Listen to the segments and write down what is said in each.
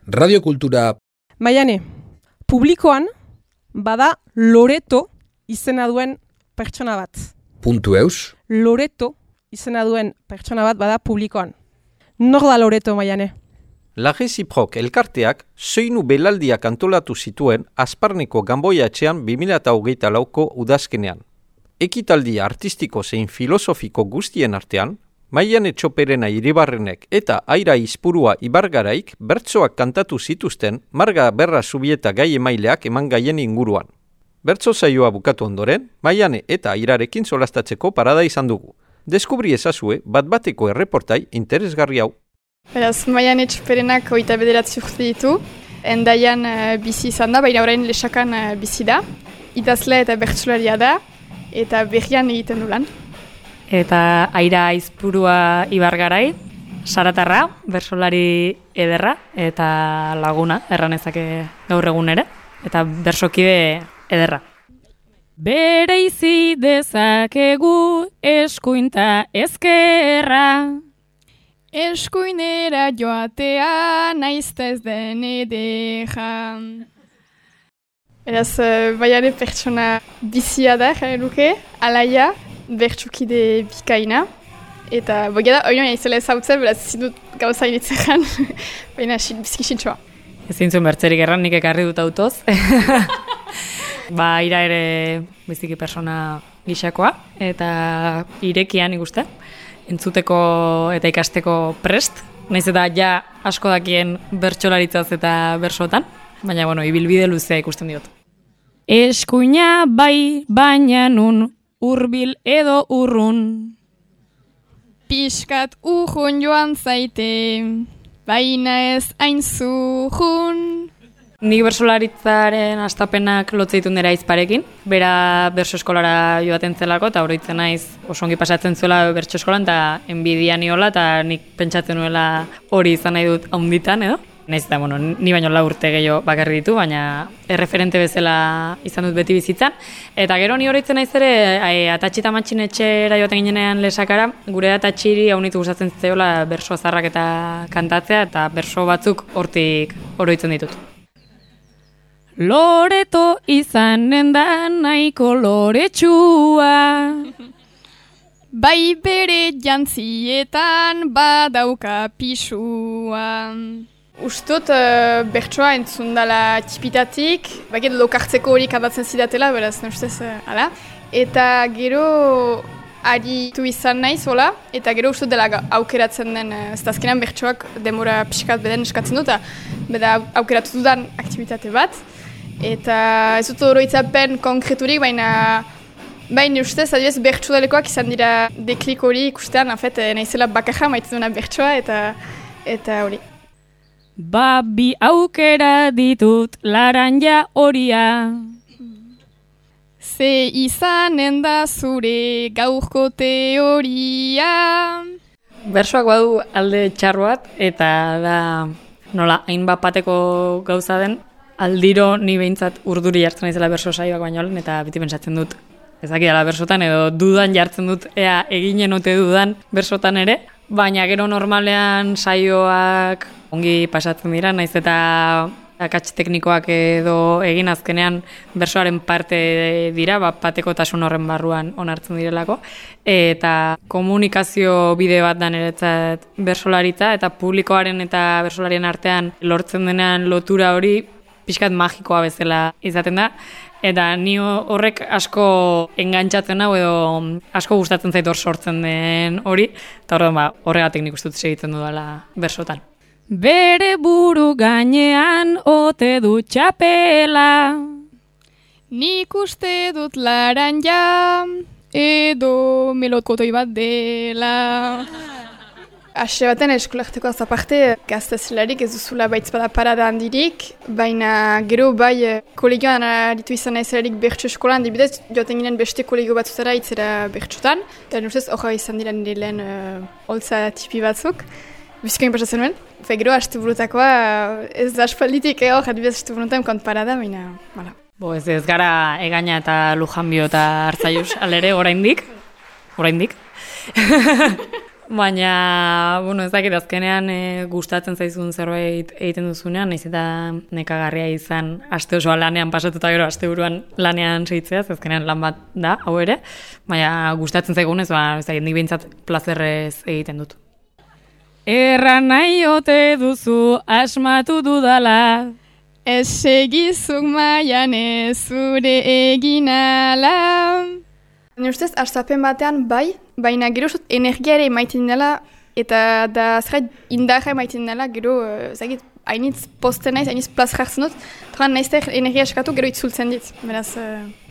Radiokultura. Maiane, publikoan bada Loreto izena duen pertsona bat. .eus. Loreto izena duen pertsona bat bada publikoan. Nor da Loreto, Maiane? La Reciproc elkarteak soinu belaldiak antolatu zituen Asparneko Ganboia etxean 2024ko udazkenean. Ekitaldi artistiko zein filosofiko guztien artean, Maiane Txoperena Iribarrenek eta Aira Izpurua Ibargaraik bertsoak kantatu zituzten Marga Berra Zubieta gai emaileak eman gaien inguruan. Bertso saioa bukatu ondoren, Maiane eta Airarekin solastatzeko parada izan dugu. Deskubri ezazue bat-bateko erreportai interesgarri hau. Beraz, Maiane Txoperenak 29 urte ditu. Endaian bizi izan da, baina orain Lesakan bizi da. Idazle eta bertsolaria da, eta berrian egiten du lan. Eta Aira Izpurua Ibargarai, saratarra, bersolari ederra eta laguna, erranezake gaur egun ere, eta bersokide ederra. Bereizi dezakegu eskuinta ezkerra, eskuinera joatea naizta ez den ederra. Beraz, Maiane pertsona bizia da, jare luke, alaia, bertsukide bikaina. Eta bogia da, oinoan izela ezautzen, beraz zindut gauza initzean, baina bizkisintxoa. Ezin zuen bertzerik erran, nik ekarri dut autoz. Aira ere biziki persona gixakoa, eta irekian ikuste, entzuteko eta ikasteko prest. Naiz eta ja asko dakien bertsolaritzaz eta bersotan, baina ibilbide luzea ikusten diot. Eskuina bai, baina nun hurbil edo urrun. Piskat urrun joan zaite, baina ez hain zurrun. Nik bersolaritzaren astapenak lotze ditut nera Aizparekin. Bera berso eskolara joaten zelako, eta oroitzen naiz oso ongi pasatzen zuela bertso eskolan, eta enbidia niola, eta nik pentsatzen nuela hori izan nahi dut haunditan, edo? Naiz eta, ni baino 4 urte gehiago bakarri ditu, baina erreferente bezala izan dut beti bizitzan. Eta gero ni oroitzen naiz ere, atatxi eta matxin etxera joaten ginenean Lesakara, gure atatxiri haunitu gustatzen zitzaiola berso azarrak eta kantatzea, eta berso batzuk hortik oroitzen ditut. Loreto izanen da nahiko loretsua, bai bere jantzietan badauka pisua. Ustot bertsoa entzun dela tipitatik, baget lokartzeko hori kantatzen zidatela, beraz, ustez, ala. Eta gero aritu izan naiz, hola, eta gero ustot dela aukeratzen den, ez da azkenan bertsoak demora pixkat beden eskatzen dut, beda aukeratu dudan aktivitate bat. Eta ez dut oroitzapen konkreturik, baina ustez, adibidez, bertsudalekoak izan dira deklik hori ikustean, naizela bakarra maitzen duna bertsoa, eta hori. Bi aukera ditut laranja horia, ze izanen da zure gaurko teoria. Bersoak badu alde txarro bat, eta da nola hainbat bateko gauza den, aldiro ni behintzat urduri jartzen naizela berso saioak baino lehen, eta beti pentsatzen dut ezakidala bersotan, edo dudan jartzen dut ea eginen ote dudan bersotan ere, baina gero normalean saioak ongi pasatzen dira, naiz eta akats teknikoak edo egin azkenean bersoaren parte dira, batekotasun horren barruan onartzen direlako, eta komunikazio bide bat da niretzat bersolaritza, eta publikoaren eta bersolarien artean lortzen denean lotura hori pixkat magikoa bezala izaten da, eta ni horrek asko engantzatzen hau edo asko gustatzen zait hor sortzen den hori, eta horregatik nik uste dut segitzen dudala bersotan. Bere buru gainean ote du txapela, nik uste dut laranja edo melokotoi bat dela. Ase baten eskolarteko azaparte, gaztezelarik ez duzula baitzpada parada handirik, baina gero bai kolegioan aritu izan naizelarik bertso eskolan, dibidez joaten ginen beste kolegio batzutara itzera bertsotan, eta nustez horra izan dira nire lehen holtza tipi batzuk. Bizikoin pasatzen nuen, gero hastu burutakoa ez da aspalditik hor, adibidez hastu burutan kont parada, baina, bala. Ez gara Egaña eta Lujanbio eta Arzaius alere oraindik. Baina, ez dakit azkenean gustatzen zaizun zerbait egiten duzunean, nahiz eta nekagarria izan aste osoa lanean pasatuta gero asteburuan lanean segitzea, azkenean lan bat da, hau ere, baina gustatzen zaigunez, ez dakit, nik behintzat plazerrez egiten dut. Erran nahi ote duzu asmatu dudala, ez segizuk maian ez zure eginala. Nire ustez, hastapen batean baina gero energia ere emaiten dela, eta da zerbait indarra emaiten dela, gero, hainitz posten naiz, hainitz plaz jartzen dut, eta nahiz energia eskatu gero itzultzen dit, beraz,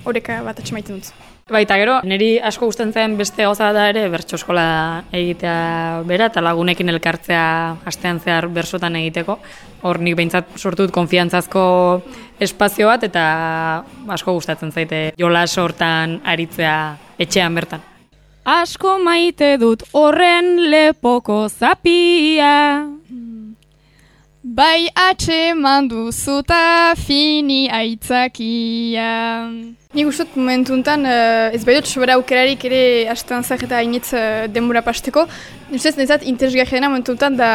horreka bat atxemaiten dut. Baita gero, niri asko gustatzen zen beste gauza da ere bertso eskola egitea bera, eta lagunekin elkartzea astean zehar bersotan egiteko. Hor nik behintzat sortu dut konfiantzazko espazio bat, eta asko gustatzen zaite jolas hortan aritzea etxean bertan. Asko maite dut horren lepoko zapia, bai atxeman duzuta fini aitzakia. Nik uste dut momentu enten, ez bai dut sobera aukerarik ere astean zak eta hainitz denbora pasteko. Ustez, nezat interesgarri dena momentu enten da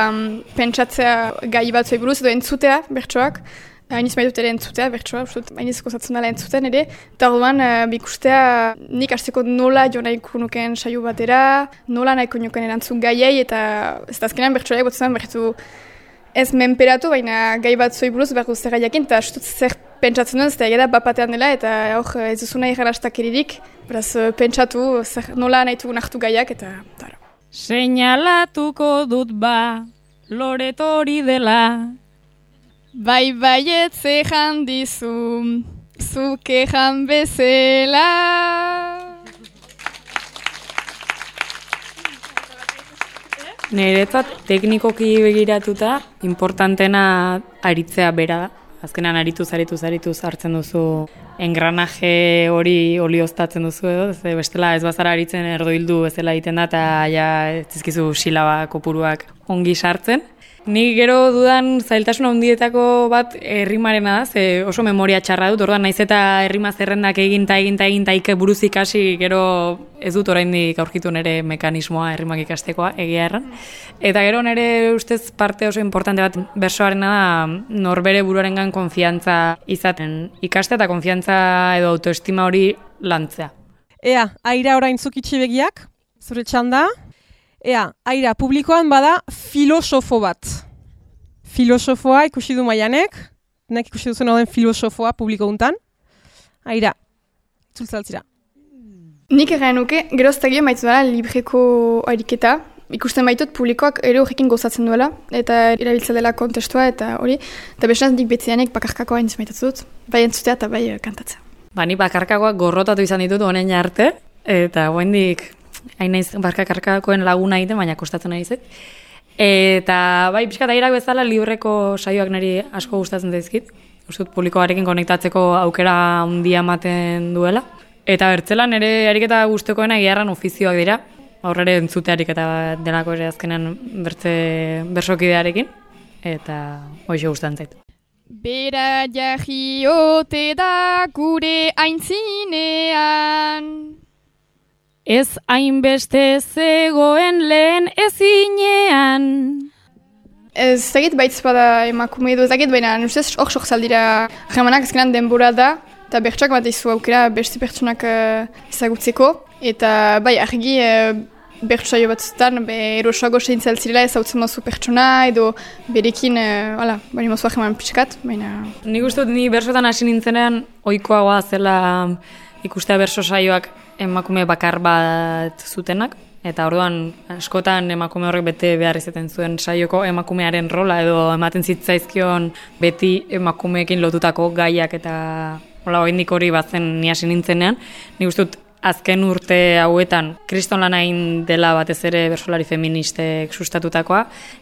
pentsatzea gai bat zuei buruz edo entzutea bertsoak. Hainitz bai dut ere entzutea bertsoa, hainitz gozatzen dela entzuten ere. Eta orduan, bikustea nik hasteko nola jo nahiko nuken saio batera, nola nahiko nuken erantzun gaiei, eta ez da azkenean bertsoa egotzen bertu ez menperatu, baina gai bat zoi buruz behar guzti gaiakin, eta zer pentsatzen duen, ez da egeda bapatean dela, eta hor ez duzuna irrarastak eririk, beraz pentsatu nola nahitu nartu gaiak, eta taro. Seinalatuko dut loretori dela, bai baietze jandizu, zuke jan bezela. Niretzat teknikoki begiratuta, importantena aritzea bera da. Azkenan arituz hartzen duzu engranaje hori olioztatzen duzu edo, bestela ez bazara aritzen erdoildu bezala egiten da, eta ja ez dizkizu silaba kopuruak ongi sartzen. Ni gero dudan zailtasun handietako bat errimarena da, ze oso memoria txarra dut, orduan naiz eta errima zerrendak egin buruz ikasi, gero ez dut oraindik aurkitu nire mekanismoa errimak ikastekoa, egia erran. Eta gero nire ustez parte oso importante bat bersoarena da norbere buruarengan konfiantza izaten ikastea eta konfiantza edo autoestima hori lantzea. Ea, Aira orain zukitxi begiak, zure txanda. Ea, Aira, publikoan bada filosofo bat. Filosofoa ikusi du Maianek, nek ikusi duzen den filosofoa publiko guntan. Aira, itzultzaltzira. Nik egin nuke, geroztagio maitu dela libreko ariketa. Ikusten baitut publikoak ere horrekin gozatzen duela, eta erabiltza dela kontestua eta hori. Eta besan nik betzianek bakarkakoa hain maitatzen dut, bai entzutea eta bai kantatzea. Ni bakarkakoak gorrotatu izan ditut honen arte, eta hoendik hain naiz bakarkakoen laguna egiten, baina kostatzen nahi zait. Eta bai, pixkat Airak bezala libreko saioak niri asko gustatzen zaizkit. Ustut publikoarekin konektatzeko aukera handia ematen duela. Eta bertzelan ere ariketa gustukoena egiarran ofizioak dira. Aurrere entzutearik eta delako ere azkenan bersokidearekin. Eta hoxe gustatzen zait. Bera jahiote da gure aintzinean, ez hainbeste zegoen lehen ezinean. Ez dakit baitz bada emakume edo, ez dakit baina ustez hor sorzaldira jamanak ezkenan denbora da, eta bertsoak bat izu aukera beste pertsonak ezagutzeko. Eta bai, argi bertsoaio batzutan erosoago seintzaltzirela ezautzen mozu pertsona edo berekin, bari mozua jeman pixkat, baina... Nik uste dut ni bersotan hasi nintzenean ohikoagoa zela ikustea berso saioak emakume bakar bat zutenak, eta orduan askotan emakume horrek bete behar izaten zuen saioko emakumearen rola edo ematen zitzaizkion beti emakumeekin lotutako gaiak eta oraindik hori bazen ni hasi nintzenean. Nik uste dut azken urte hauetan kriston lan egin dela batez ere bersolari feministek sustatutakoa,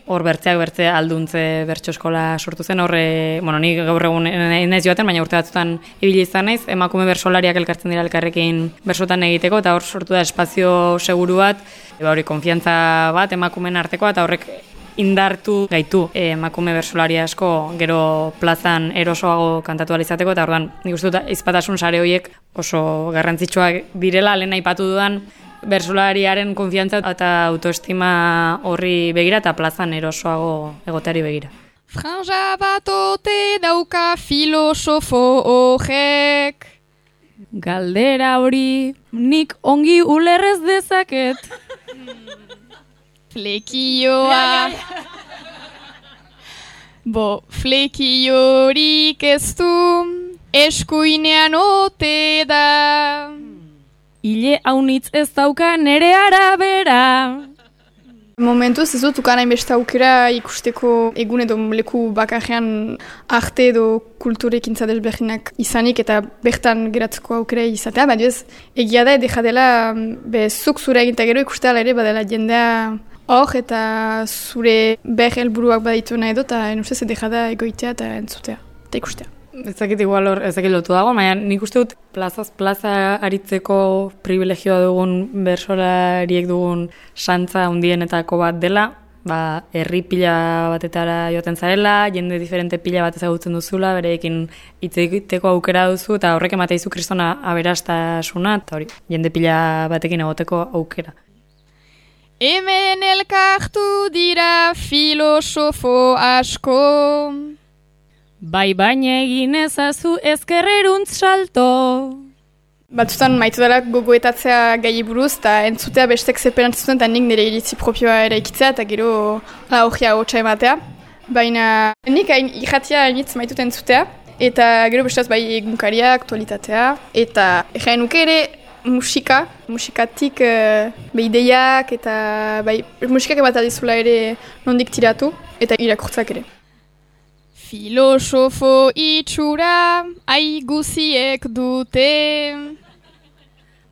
hor bertze alduntze bertso eskola sortu zen, ni gaur egun naiz joaten, baina urte batzutan ibili izan naiz, emakume bersolariak elkartzen dira elkarrekin bersotan egiteko, eta hor sortu da espazio seguru bat, hori konfiantza bat emakumeen artekoa, eta horrek indartu gaitu emakume bersolari asko gero plazan erosoago kantatu alizateko, eta orduan nik uste dut izpatasun sare horiek oso garrantzitsuak direla, lehen aipatu dudan bertsolariaren konfiantza eta autoestima horri begira eta plazan erosoago egoteari begira. Franja bat ote dauka filosofo horrek. Galdera hori nik ongi ulerrez dezaket. Flekioa. Flekiorik ez du, eskuinean ote da. Ile haunitz ez dauka nere arabera. Momentuz ez dut ukan hainbeste aukera ikusteko egun edo leku bakarrean arte edo kulturekintza desberdinak izanik eta bertan geratzeko aukera izatea. Baina ez, egia da edo jadela zuk zure eginta gero ikustea ere badela jendea hor eta zure helburuak baditu nahi edo eta enustez edo jada egoitea eta entzutea eta ikustea. Ezakit igual hor, ezakit lotu dago, baina nik uste dut plazaz plaza aritzeko privilegioa dugun bertsolariek dugun santza handienetako bat dela, herri pila batetara joaten zarela, jende diferente pila bat ezagutzen duzula, bereekin hitz egiteko aukera duzu, eta horrek emateizu kristona aberastasuna, eta hori, jende pila batekin egoteko aukera. Hemen elkartu dira filosofo asko. Baina egin ezazu ezkerreruntz salto. Batzutan maitu dela gogoetatzea gai buruz eta entzutea bestek zeperantzuten eta nik nire iritzi propioa eraikitzea eta gero horria hotxa ematea. Baina nik irratia nitz maitut entzutea eta gero bestaz bai egunkaria, aktualitatea eta egin nuke ere musikatik ideiak eta musikak bat adizula ere nondik tiratu eta irakurtzak ere. Filosofo itxura aiguziek dute.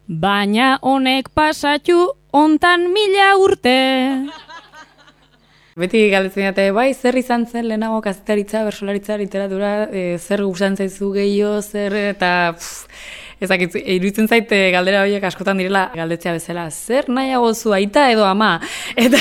Baina honek pasatu ontan 1000 urte. Beti galdetzen dute, zer izan zen lehenago kazetaritza, bertsolaritza, literatura, zer gustatzen zaizu gehiago, zer eta... Ezakit, iruditzen zait galdera horiek askotan direla galdetzea bezala, zer nahiago zu aita edo ama, eta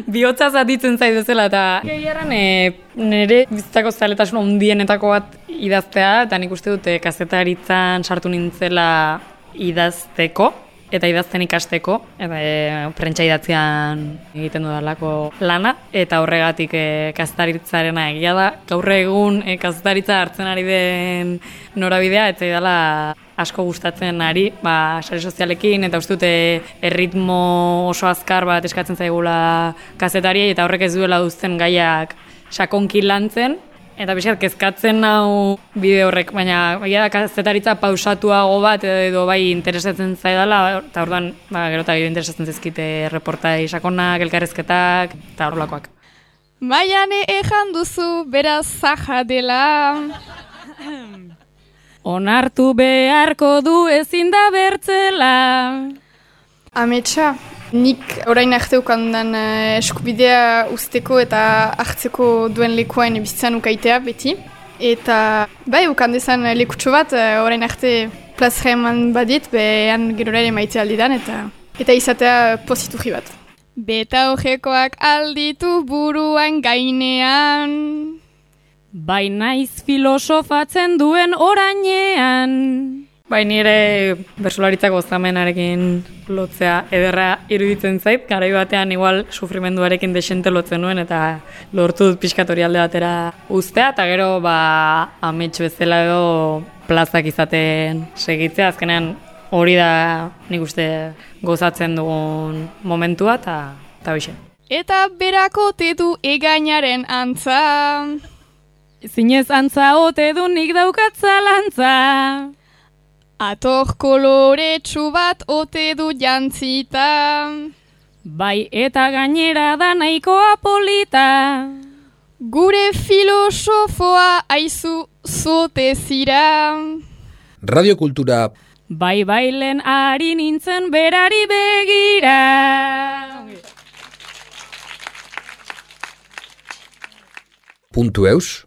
bihotza zatitzen zait bezala, eta gehiaran nire bizitzako zaletasun handienetako bat idaztea, eta nik uste dute kazetaritzan sartu nintzela idazteko, eta idazten ikasteko, eta prentsa idatzean egiten dudalako lana, eta horregatik kazetaritzarena egia da, gaur egun kazetaritza hartzen ari den norabidea, eta dela asko gustatzen ari, sare sozialekin, eta uste dute erritmo oso azkar bat eskatzen zaigula kazetariei, eta horrek ez duela duzten gaiak sakonki lantzen, eta bizkat kezkatzen nau bide horrek, baina kazetaritza pausatuago bat edo bai interesatzen zaidala, eta orduan gero eta gero interesatzen zaizkite reportai sakonak, elkarrezketak, eta horrelakoak. Maiane ejan duzu beraz zaja dela. Onartu beharko du ezin da bertzela. Ametsa, nik orain arte ukandan eskubidea usteko eta hartzeko duen lekuain bizitzan ukaitea beti. Eta ukandezan lekutxo bat orain arte plazera eman badit, behan gerora ere maitea aldidan eta izatea poziturri bat. Beta horrekoak alditu buruan gainean. Bai naiz filosofatzen duen orainean. Bai nire bertsolaritzako gozamenarekin lotzea ederra iruditzen zait, garai batean igual sufrimenduarekin desente lotzen nuen eta lortu dut pixkat hori alde batera uztea, eta gero amets bezala edo plazak izaten segitzea, azkenean hori da nik uste gozatzen dugun momentua eta bixe. Eta berako tedu egainaren antza. Zinez antza ote du nik daukat zalantza. Ator koloretsu bat ote du jantzita. Bai eta gainera da nahikoa polita. Gure filosofoa aizu zote zira. Radiokultura. Bai bailen ari nintzen berari begira. .eus